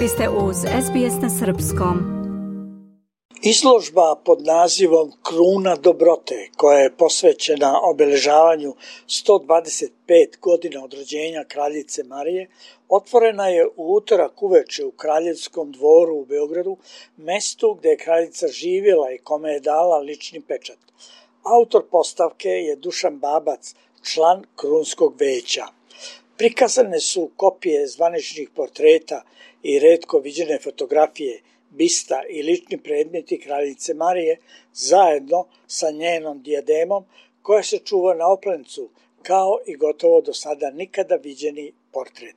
Vi ste uz SBS na Srpskom. Izložba pod nazivom Kruna dobrote, koja je posvećena obeležavanju 125 godina od rođenja kraljice Marije, otvorena je u utorak uveče u Kraljevskom dvoru u Beogradu, mestu gde je kraljica živjela i kome je dala lični pečat. Autor postavke je Dušan Babac, član Krunskog veća. Prikazane su kopije zvaničnih portreta i retko viđene fotografije, bista i lični predmeti kraljice Marije zajedno sa njenom dijademom koja se čuva na oplencu, kao i gotovo do sada nikada viđeni portret.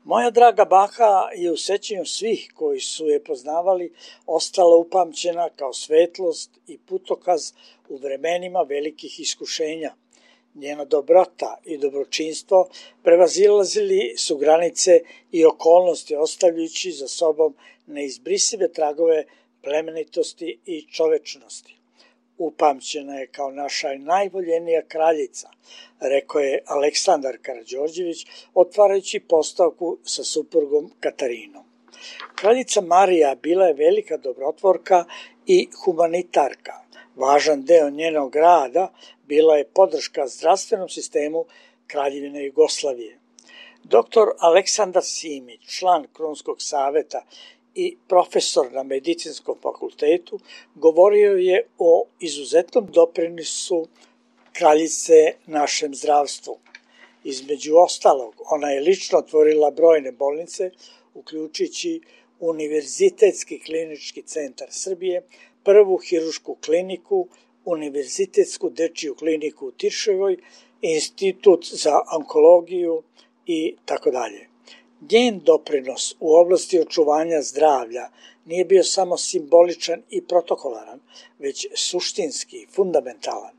Moja draga baka je u sećanju svih koji su je poznavali ostala upamćena kao svetlost i putokaz u vremenima velikih iskušenja. Njena dobrota i dobročinstvo prevazilazili su granice i okolnosti, ostavljajući za sobom neizbrisive tragove plemenitosti i čovečnosti. Upamćena je kao naša najvoljenija kraljica, rekao je Aleksandar Karađorđević, otvarajući postavku sa suprugom Katarinom. Kraljica Marija bila je velika dobrotvorka i humanitarka. Važan deo njenog rada bila je podrška zdravstvenom sistemu Kraljevine Jugoslavije. Dr. Aleksandar Simić, član Krunskog saveta i profesor na Medicinskom fakultetu, govorio je o izuzetnom doprinosu kraljice našem zdravstvu. Između ostalog, ona je lično otvorila brojne bolnice, uključujući Univerzitetski klinički centar Srbije, prvu hirušku kliniku, Univerzitetsku dečiju kliniku u Tiršovoj, Institut za onkologiju i tako dalje. Njen doprinos u oblasti očuvanja zdravlja nije bio samo simboličan i protokolaran, već suštinski, fundamentalan.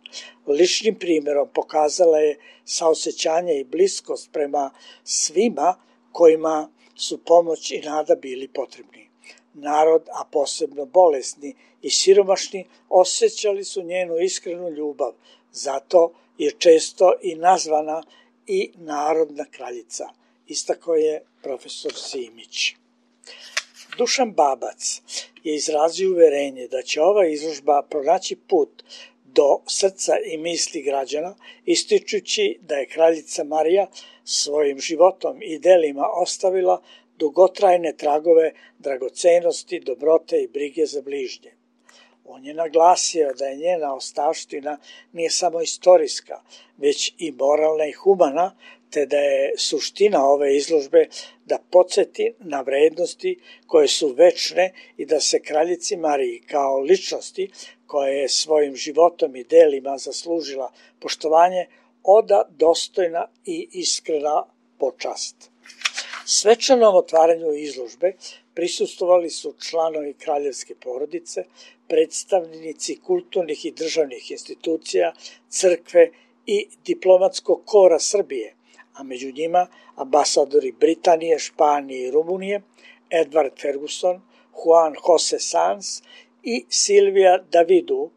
Ličnim primjerom pokazala je saosećanje i bliskost prema svima kojima su pomoć i nada bili potrebni. Narod, a posebno bolesni i siromašni, osjećali su njenu iskrenu ljubav, zato je često i nazvana i narodna kraljica, istakao je profesor Simić. Dušan Babac je izrazio uverenje da će ova izložba pronaći put do srca i misli građana, ističući da je kraljica Marija svojim životom i delima ostavila dugotrajne tragove dragocenosti, dobrote i brige za bližnje. On je naglasio da je njena ostavština nije samo istorijska, već i moralna i humana, te da je suština ove izložbe da podsjeti na vrednosti koje su večne i da se kraljici Mariji kao ličnosti koja je svojim životom i delima zaslužila poštovanje oda dostojna i iskrena počast. Svečanom otvaranju izložbe prisustvovali su članovi kraljevske porodice, predstavnici kulturnih i državnih institucija, crkve i diplomatskog kora Srbije, a među njima ambasadori Britanije, Španije i Rumunije, Edward Ferguson, Juan Jose Sanz i Silvija Davidu.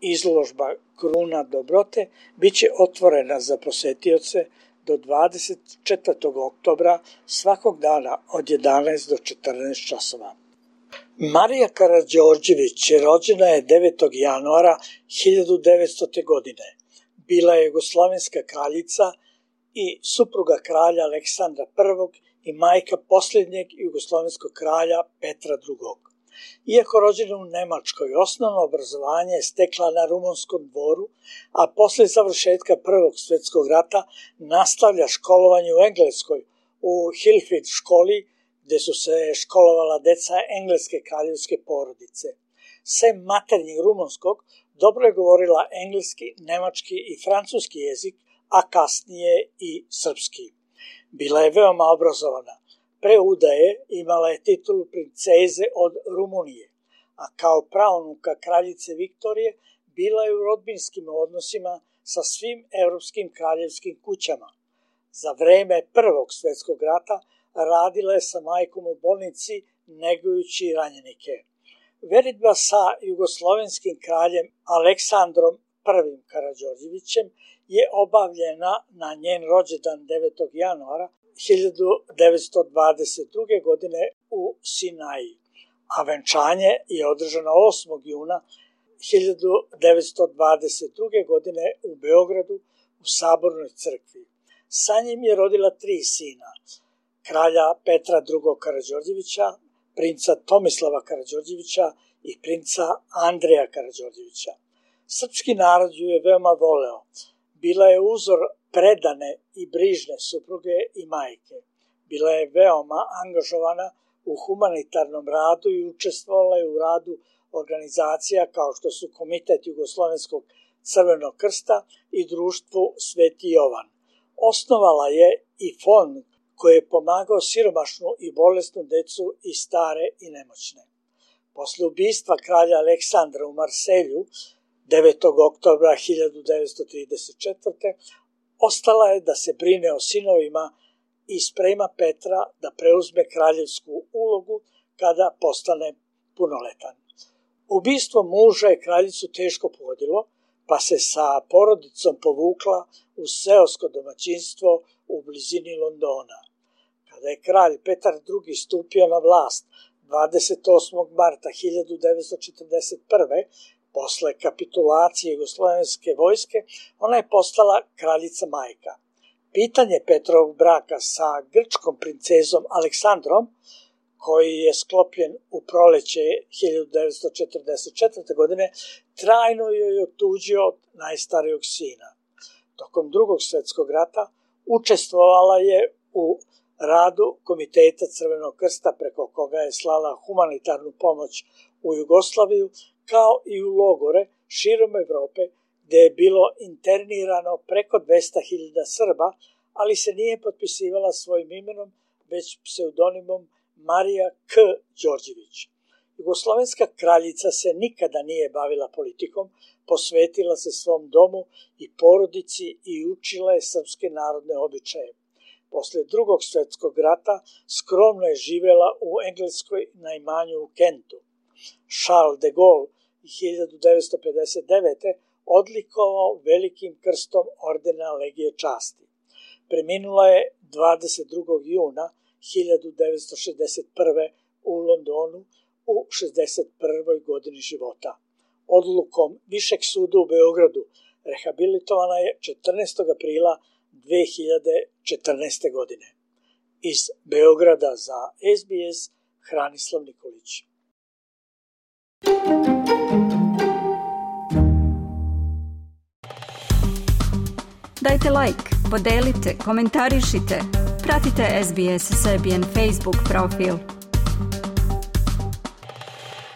Izložba Kruna dobrote biće otvorena za posetioce do 24. oktobra svakog dana od 11 do 14 časova. Marija Karađorđević rođena je 9. januara 1900. godine. Bila je jugoslovenska kraljica i supruga kralja Aleksandra I i majka posljednjeg jugoslovenskog kralja Petra II. Iako rođena u Nemačkoj, osnovno obrazovanje je stekla na Rumunskom dvoru, a posle završetka Prvog svjetskog rata nastavlja školovanje u Engleskoj u Highfield školi, gde su se školovala deca engleske kraljevske porodice. Sem maternjeg rumunskog, dobro je govorila engleski, nemački i francuski jezik, a kasnije i srpski. Bila je veoma obrazovana. Pre udaje imala je titulu princeze od Rumunije, a kao praunuka kraljice Viktorije bila je u rodbinskim odnosima sa svim evropskim kraljevskim kućama. Za vreme Prvog svjetskog rata radila je sa majkom u bolnici negujući ranjenike. Veritba sa jugoslovenskim kraljem Aleksandrom I Karađorđevićem je obavljena na njen rođendan 9. januara 1922. godine u Sinaji, a venčanje je održano 8. juna 1922. godine u Beogradu u Sabornoj crkvi. Sa njim je rodila 3 sina, kralja Petra II. Karađorđevića, princa Tomislava Karađorđevića i princa Andreja Karađorđevića. Srpski narod ju je veoma voleo. Bila je uzor predane i brižne supruge i majke. Bila je veoma angažovana u humanitarnom radu i učestvovala je u radu organizacija kao što su Komitet Jugoslovenskog Crvenog krsta i Društvo Sveti Jovan. Osnovala je i fond koji je pomagao siromašnu i bolesnu decu i stare i nemoćne. Posle ubistva kralja Aleksandra u Marselju 9. oktobra 1934. ostala je da se brine o sinovima i sprema Petra da preuzme kraljevsku ulogu kada postane punoletan. Ubistvo muža je kraljicu teško pogodilo, pa se sa porodicom povukla u seosko domaćinstvo u blizini Londona. Kada je kralj Petar II. Stupio na vlast 28. marta 1941. posle kapitulacije jugoslovenske vojske, ona je postala kraljica majka. Pitanje Petrovog braka sa grčkom princezom Aleksandrom, koji je sklopljen u proleće 1944. godine, trajno joj je otuđio od najstarijog sina. Tokom Drugog svjetskog rata učestvovala je u radu Komiteta Crvenog krsta preko koga je slala humanitarnu pomoć u Jugoslaviju, kao i u logore širom Evrope, gde je bilo internirano preko 200.000 Srba, ali se nije potpisivala svojim imenom, već pseudonimom Marija K. Đorđević. Jugoslovenska kraljica se nikada nije bavila politikom, posvetila se svom domu i porodici i učila je srpske narodne običaje. Posle Drugog svjetskog rata skromno je živela u Engleskoj na imanju u Kentu. Charles de Gaulle 1959. odlikovao velikim krstom ordena Legije časti. Preminula je 22. juna 1961. u Londonu u 61. godini života. Odlukom Višeg suda u Beogradu rehabilitovana je 14. aprila 2014. godine. Iz Beograda za SBS Hranislav Nikolić. Dajte like, podelite, komentarišite, pratite SBS Serbian Facebook profil.